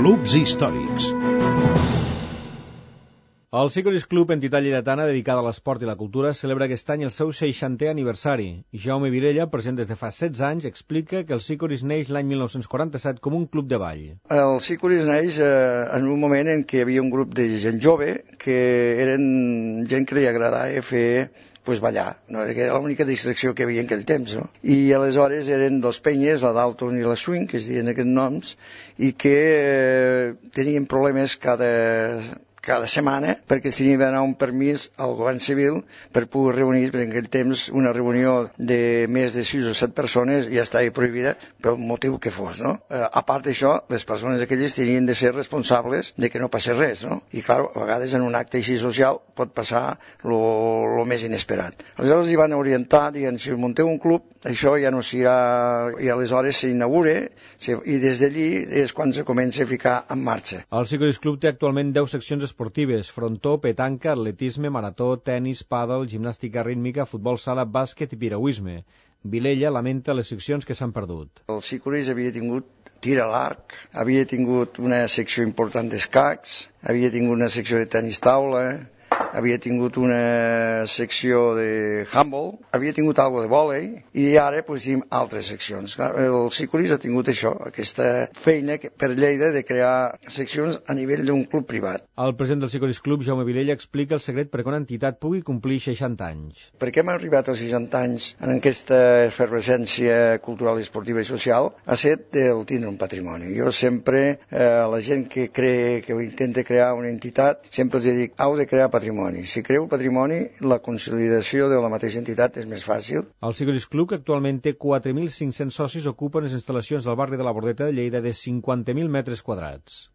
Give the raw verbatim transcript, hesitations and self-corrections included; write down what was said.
Clubs històrics. El Sicoris Club, entitat lleidatana dedicada a l'esport i la cultura, celebra aquest any el seu seixantè aniversari. Jaume Vilella, present des de fa setze anys, explica que el Sicoris neix l'any mil nou-cents quaranta-set com un club de ball. El Sicoris neix eh, en un moment en què hi havia un grup de gent jove que eren gent que li agradava fer pues, ballar, no? Era l'única distracció que hi havia en aquell temps, no? I aleshores eren dos penyes, la Dalton i la Swing, que es diuen aquests noms, i que eh, tenien problemes cada... cada setmana, perquè s'hi havia d'anar un permís al govern civil per poder reunir, perquè en aquell temps una reunió de més de sis o set persones ja estava prohibida pel motiu que fos, no? Eh, a part d'això, les persones aquelles tenien de ser responsables de que no passés res, no? I, clar, a vegades en un acte així social pot passar lo més inesperat. Aleshores hi van orientar, dient, si us munteu un club, això ja no serà... i aleshores s'inaugura, i des d'allí és quan se comença a ficar en marxa. El Sicoris Club té actualment deu seccions esportives: frontó, petanca, atletisme, marató, tenis, pàdel, gimnàstica rítmica, futbol sala, bàsquet i piragüisme. Vilella lamenta les seccions que s'han perdut. El Sicoris havia tingut tir a l'arc, havia tingut una secció important d'escacs, havia tingut una secció de tenis taula, havia tingut una secció de handball, havia tingut alguna de vòlei, i ara pues, tenim altres seccions. El Sicoris ha tingut això, aquesta feina per Lleida de crear seccions a nivell d'un club privat. El president del Sicoris Club, Jaume Vilella, explica el secret perquè una entitat pugui complir seixanta anys. Per què hem arribat als seixanta anys en aquesta efervescència cultural, esportiva i social? Ha set el tindre un patrimoni. Jo sempre, eh, a la gent que cree, que intenta crear una entitat, sempre els dic, heu de crear patrimoni. Si creu patrimoni, la consolidació de la mateixa entitat és més fàcil. El Sicoris Club, que actualment té quatre mil cinc-cents socis, ocupa les instal·lacions del barri de la Bordeta de Lleida de cinquanta mil metres quadrats.